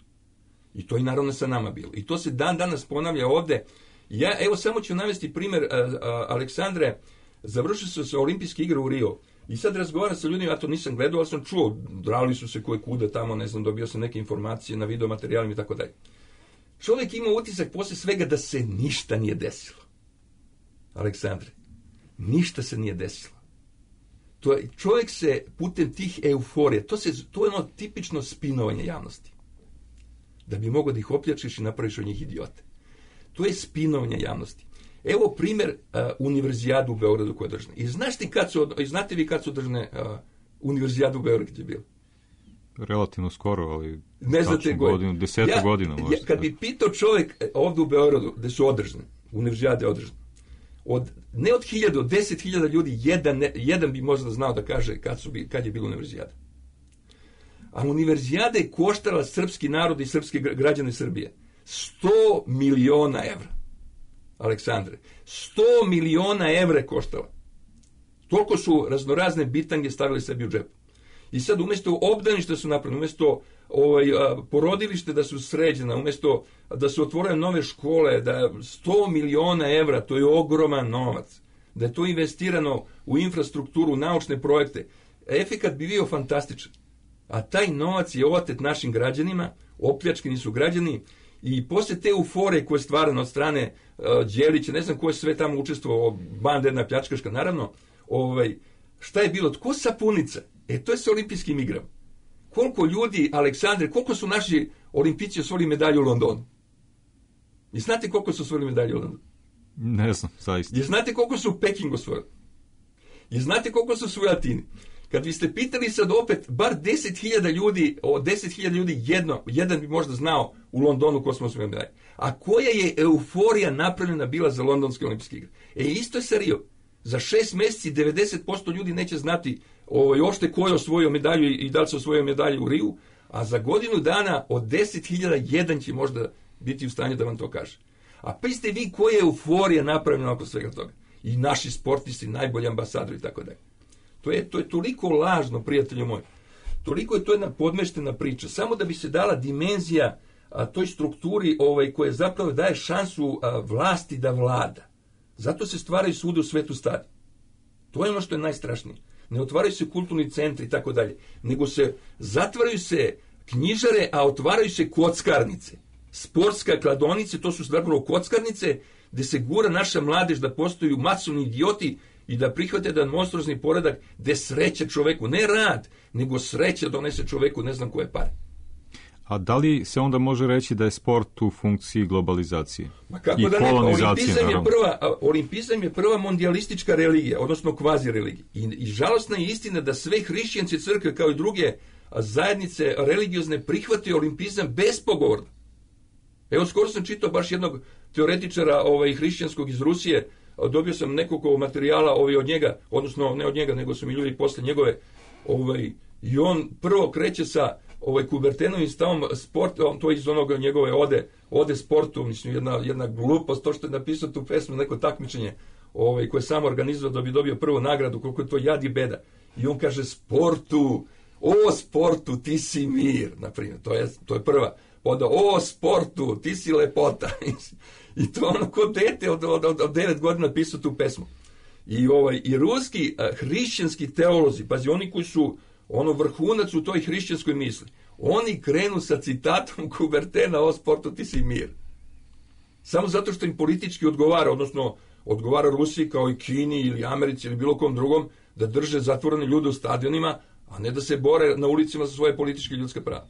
I to je naravno sa nama bilo. I to se dan danas ponavlja ovde. Evo samo ću navesti primjer Aleksandre. Završili su se olimpijske igre u Rio. I sad razgovaram sa ljudima, ja to nisam gledao, ali sam čuo, drali su se koje kuda tamo, ne znam, dobio sam neke informacije na video materijalima i tako dalje. Čovjek ima utisak posle svega da se ništa nije desilo. Aleksandre, ništa se nije desilo. Čovjek se putem tih euforija, to je ono tipično spinovanje javnosti. Da bi mogao da ih opljačiš i napraviš od njih idiote. To je spinovanje javnosti. Evo primjer univerzijadu u Beogradu koja je održana. I znate vi kad su održane univerzijadu u Beogradu gdje je bilo? Relativno skoro, ali ne znate godinu, 10 godina možda. Kad bi pitao čovjek ovdje u Beogradu gdje su održane, univerzijade održane, ne od 1000, od 10.000 ljudi, jedan bi možda znao da kaže kad je bila univerzijada. A univerzijada je koštala srpski narod i srpske građane Srbije 100 miliona evra. Aleksandre, 100 miliona evra je koštala. Toliko su raznorazne bitange stavili sebi u džep. I sad umjesto obdaništa su napravljeni, umjesto porodilište da su sređena, umjesto da su otvorene nove škole, da 100 miliona evra, to je ogroman novac, da je to investirano u infrastrukturu, u naučne projekte, efekat bi bio fantastičan. A taj novac je otet našim građanima, opljačkani su građani, i posle te euforije koje je stvarano od strane Đelića, ne znam ko je sve tamo učestvovao, banda jedna pljačkaška, naravno, šta je bilo, tko sapunica? To je sa olimpijskim igrama. Koliko ljudi, Aleksandre, koliko su naši olimpijci osvojili medalju u Londonu? I znate koliko su osvojili medalju u Londonu? Ne znam, zaista. I znate koliko su u Pekingu osvojili? I znate koliko su u Atini? Kad biste pitali sad opet, bar 10.000 ljudi, od 10.000 ljudi jedan bi možda znao u Londonu ko smo osvojili medalje. A koja je euforija napravljena bila za londonske olimpijske igre? Isto je sa Rio. Za 6 mjeseci 90% ljudi neće znati ošte ko je osvojio medalju i da li se osvojio medalju u Riju, a za godinu dana od 10.000 jedan će možda biti u stanju da vam to kaže. A pazite vi koja je euforija napravljena oko svega toga. I naši sportisti, najbolji ambasadori i tako dalje. To je toliko lažno, prijatelju moji. Toliko je to jedna podmeštena priča. Samo da bi se dala dimenzija toj strukturi koja zapravo daje šansu vlasti da vlada. Zato se stvaraju svuda u svetu stadi. To je ono što je najstrašnije. Ne otvaraju se kulturni centri i tako dalje, nego se zatvaraju se knjižare, a otvaraju se kockarnice. Sportska kladonice, to su zapravo kockarnice, gde se gura naša mladež da postaju masovni idioti i da prihvate jedan monstruozni poredak gde sreća čoveku, ne rad, nego sreća donese čoveku ne znam koje pare. A da li se onda može reći da je sport u funkciji globalizacije i da kolonizacije? Olimpizam je prva mondijalistička religija, odnosno kvazi religija. I žalostna je istina da sve hrišćanske crkve kao i druge zajednice religiozne prihvate olimpizam bespogovorno. Evo, skoro sam čitao baš jednog teoretičara hrišćanskog iz Rusije, dobio sam nekoliko materijala od njega, odnosno ne od njega, nego su mi ljudi posle njegove, i on prvo kreće sa Kubertenovim stavom sport, to iz onog njegove ode sportu, mislim, jedna glupost, to što je napisao tu pesmu, neko takmičenje koje je sam organizovao da bi dobio prvu nagradu, koliko je to jad i beda. I on kaže sportu, ti si mir, na primjer, to je prva. Onda, sportu, ti si lepota. I to ono ko dete od 9 godina pisao tu pesmu. I ruski hrišćanski teolozi, pazi, oni koji su vrhunac u toj hrišćanskoj misli, oni krenu sa citatom Kubertena, sportu, ti si mir. Samo zato što im politički odgovara, odnosno odgovara Rusiji kao i Kini ili Americi ili bilo kom drugom, da drže zatvorene ljude u stadionima, a ne da se bore na ulicima za svoje političke i ljudske prava.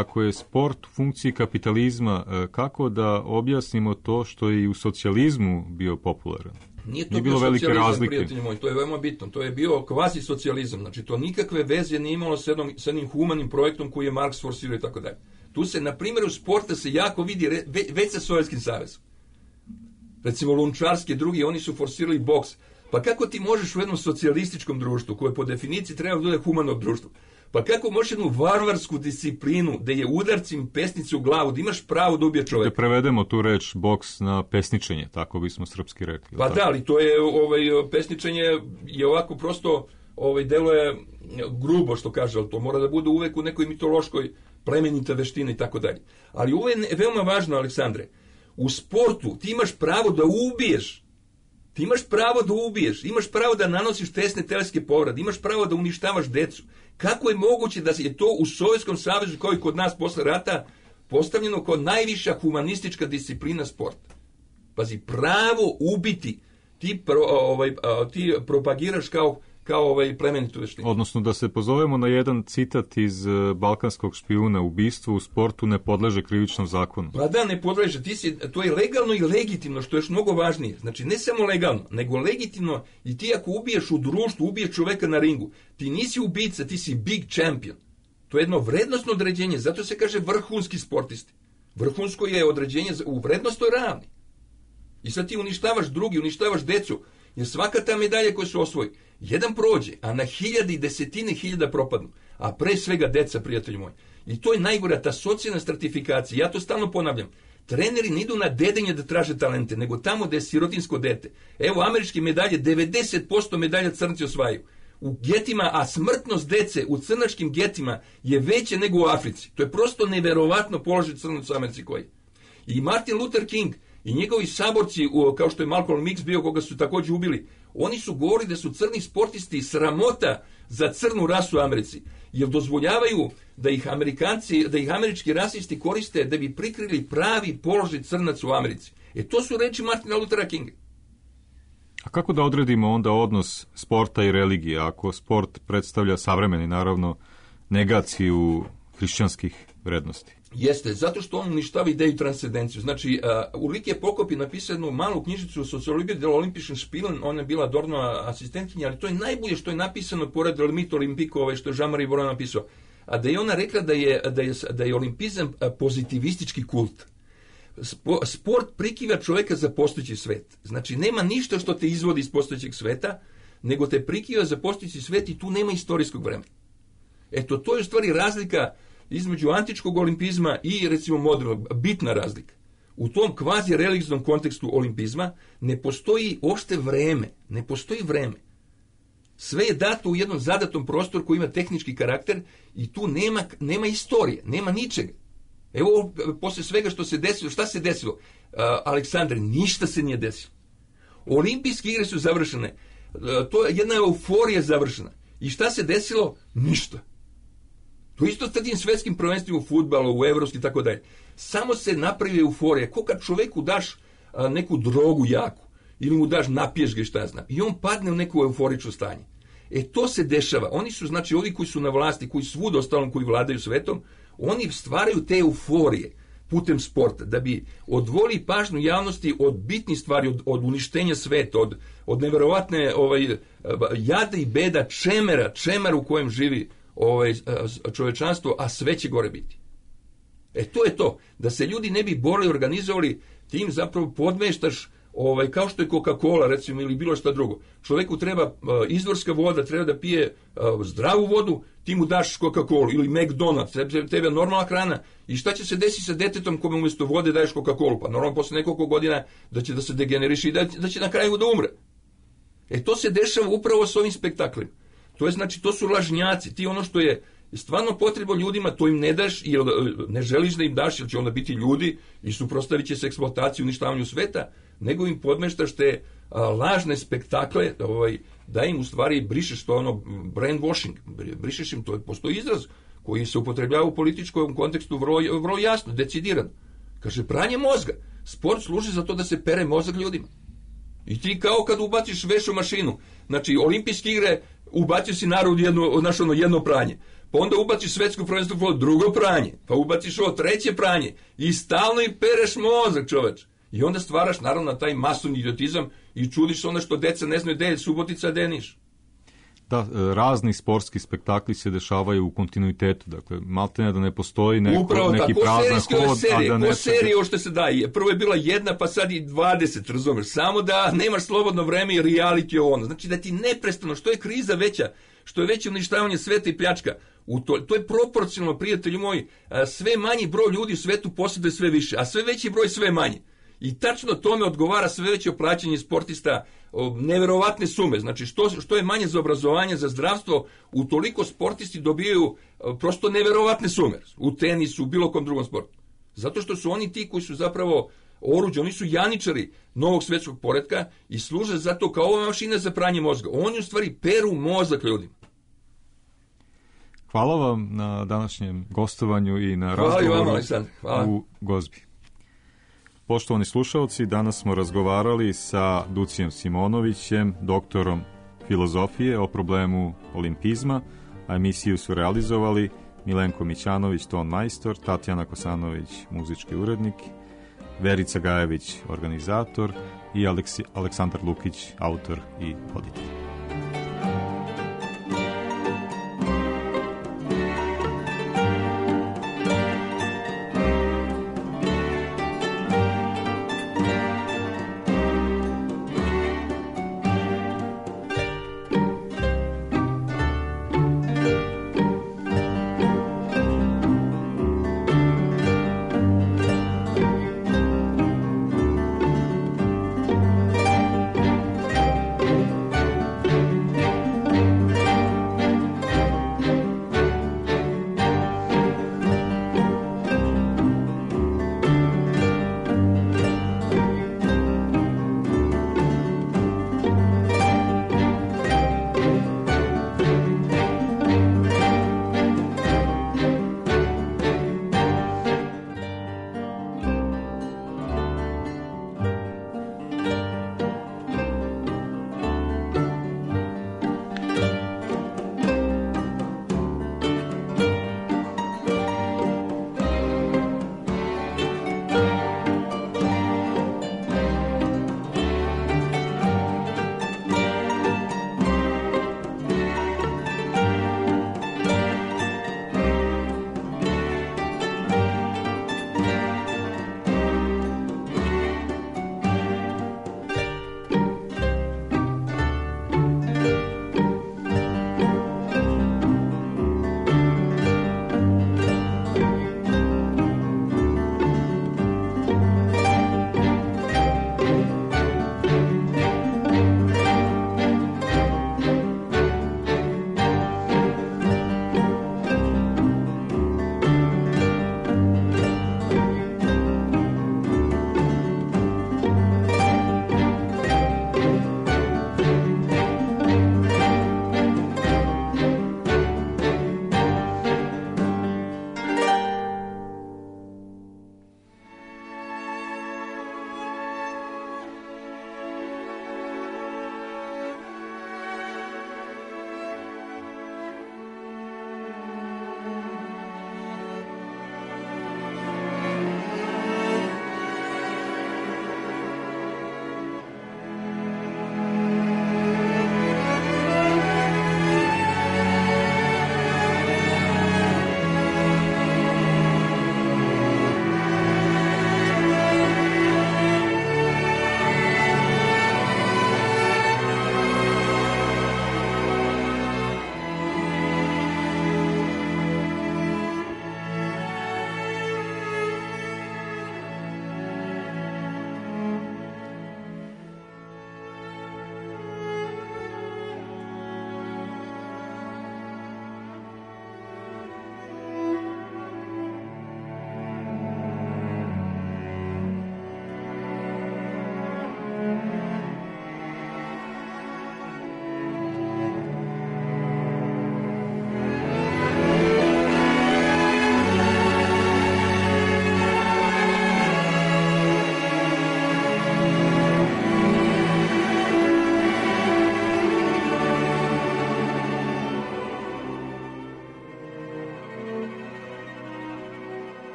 Ako je sport u funkciji kapitalizma, kako da objasnimo to što je i u socijalizmu bio popularan? Nije to bio socijalizam, prijatelji moji, to je veoma bitno. To je bio kvazi socijalizam, znači to nikakve veze nije imalo s jednim humanim projektom koji je Marks forsirao i tako dalje. Tu se, na primjeru sporta, se jako vidi već sa Sovjetskim savezom. Recimo Lunčarski i drugi, oni su forsirali boks. Pa kako ti možeš u jednom socijalističkom društvu, koje po definiciji treba da bude humano društvo, pa kako možeš jednu varvarsku disciplinu, da je udarcim pesnicu u glavu, da imaš pravo da ubije čovjeka? Da prevedemo tu reč boks na pesničenje, tako bismo srpski rekli. Pa da, ali to je, pesničenje je ovako prosto, deluje grubo što kaže, ali to mora da bude uvek u nekoj mitološkoj plemenita veština i tako dalje. Ali ovo je veoma važno, Aleksandre. U sportu ti imaš pravo da ubiješ. Ti imaš pravo da ubiješ, imaš pravo da nanosiš tesne teleske povrede, imaš pravo da uništavaš decu. Kako je moguće da je to u Sovjetskom savezu, kao i kod nas posle rata, postavljeno kao najviša humanistička disciplina sporta? Pazi, pravo ubiti ti propagiraš kao plemenitu veštinu. Odnosno da se pozovemo na jedan citat iz Balkanskog špijuna: ubistvo u sportu ne podleže krivičnom zakonu. Pa da, ne podleže. To je legalno i legitimno, što je još mnogo važnije. Znači, ne samo legalno, nego legitimno. I ti ako ubiješ u društvu, ubiješ čoveka na ringu, ti nisi ubica, ti si big champion. To je jedno vrednostno određenje, zato se kaže vrhunski sportisti. Vrhunsko je određenje u vrednostnoj ravni. I sad ti uništavaš drugi, uništavaš decu, jer svaka ta medalja koju se osvoji, jedan prođe, a na hiljade i desetine hiljada propadnu. A pre svega deca, prijatelji moji. I to je najgora, ta socijalna stratifikacija. Ja to stalno ponavljam. Treneri ne idu na dedenje da traže talente, nego tamo gde je sirotinsko dete. Evo, američke medalje, 90% medalja crnci osvajaju. u getima, a smrtnost dece u crnačkim getima je veća nego u Africi. To je prosto neverovatno položaj crnaca u Americi koji. I Martin Luther King i njegovi saborci, kao što je Malcolm X bio, koga su također ubili, oni su govorili da su crni sportisti sramota za crnu rasu u Americi, jer dozvoljavaju da ih Amerikanci, da ih američki rasisti koriste da bi prikrili pravi položaj crnaca u Americi. To su reči Martina Luthera Kinga. A kako da odredimo onda odnos sporta i religije, ako sport predstavlja savremeni, naravno, negaciju hrišćanskih vrednosti? Jeste, zato što on uništava ideju transcendenciju. Znači, Ulrike Prokop je napisao jednu malu knjižicu Sociologije del Olympischen Spielen, ona je bila Dornova asistentkinja, ali to je najbolje što je napisano pored Mit Olympique, što je Jean-Marie Boran napisao. A da je ona rekla da je olimpizam pozitivistički kult. Sport prikiva čovjeka za postojeći svet. Znači, nema ništa što te izvodi iz postojećeg sveta, nego te prikiva za postojeći svet i tu nema istorijskog vremena. Eto, to je u stvari razlika između antičkog olimpizma i, recimo, modernog, bitna razlika. U tom kvazi religioznom kontekstu olimpizma ne postoji uopšte vreme, ne postoji vreme. Sve je dato u jednom zadatom prostoru koji ima tehnički karakter i tu nema istorije, nema ničega. Evo, posle svega što se desilo, šta se desilo? Aleksandre, ništa se nije desilo. Olimpijske igre su završene, to je jedna euforija završena. I šta se desilo? Ništa. To isto s tim svetskim prvenstvima u fudbalu, u evropski i tako dalje. Samo se napravi euforija. Ko kad čoveku daš neku drogu jaku, ili mu daš napiješ ga i šta znam, i on padne u neko euforično stanje. To se dešava. Oni su, znači, ovi koji su na vlasti, koji svud ostalom, koji vladaju svetom, oni stvaraju te euforije putem sporta, da bi odvoli pažnju javnosti od bitnih stvari, od uništenja sveta, od neverovatne jada i beda čemera u kojem živi čovečanstvo, a sve će gore biti. To je to. Da se ljudi ne bi borili, organizovali, ti im zapravo podmeštaš, kao što je Coca-Cola, recimo, ili bilo šta drugo. Čovjeku treba izvorska voda, treba da pije zdravu vodu, ti mu daš Coca-Cola ili McDonald's, tebe je normalna hrana. I šta će se desiti sa detetom kome umjesto vode daješ Coca-Cola? Pa normalno posle nekoliko godina da će da se degeneriši i da će na kraju da umre. To se dešava upravo s ovim spektaklima. To je, znači, to su lažnjaci. Ti ono što je stvarno potrebno ljudima, to im ne daš, jer ne želiš da im daš, jer će onda biti ljudi i suprotstavit će se eksploataciji, uništavanju sveta, nego im podmeštaš te lažne spektakle, da im u stvari brišeš to brainwashing, brišeš im, to postoji izraz koji se upotrebljava u političkom kontekstu vrlo jasno, decidiran. Kaže, pranje mozga. Sport služi za to da se pere mozak ljudima. I ti kao kad ubaciš vešu mašinu, znači olimpijske igre, ubacio si narod jedno pranje, pa onda ubaciš svetsko prvenstvo drugo pranje, pa ubaciš treće pranje i stalno im pereš mozak, čoveč. I onda stvaraš naravno taj masovni idiotizam i čudiš onda što deca ne znaju gde je Subotica, gde je Niš. Da, razni sportski spektakli se dešavaju u kontinuitetu, dakle, maltene da ne postoji neki prazan hod, a da ne... Po seriji ovo što se daje, prvo je bila jedna, pa sad i 20, razumeš, samo da nemaš slobodno vreme i reality ono, znači da ti neprestano, što je kriza veća, što je veće uništavanje sveta i pljačka, to je proporcionalno, prijatelji moji, sve manji broj ljudi u svetu posjeduje sve više, a sve veći broj sve manje. I tačno tome odgovara sve veće plaćanje sportista, neverovatne sume. Znači, što je manje za obrazovanje, za zdravstvo, utoliko sportisti dobijaju prosto neverovatne sume. U tenisu, u bilo kom drugom sportu. Zato što su oni ti koji su zapravo oruđe, oni su janičari novog svetskog poretka i služe zato kao ova mašina za pranje mozga. Oni u stvari peru mozak ljudima. Hvala vam na današnjem gostovanju i na razgovoru u Gozbi. Poštovani slušalci, danas smo razgovarali sa Ducijem Simonovićem, doktorom filozofije, o problemu olimpizma, a emisiju su realizovali Milenko Mićanović, ton majstor, Tatjana Kosanović, muzički urednik, Verica Gajević, organizator i Aleksandar Lukić, autor i voditelj.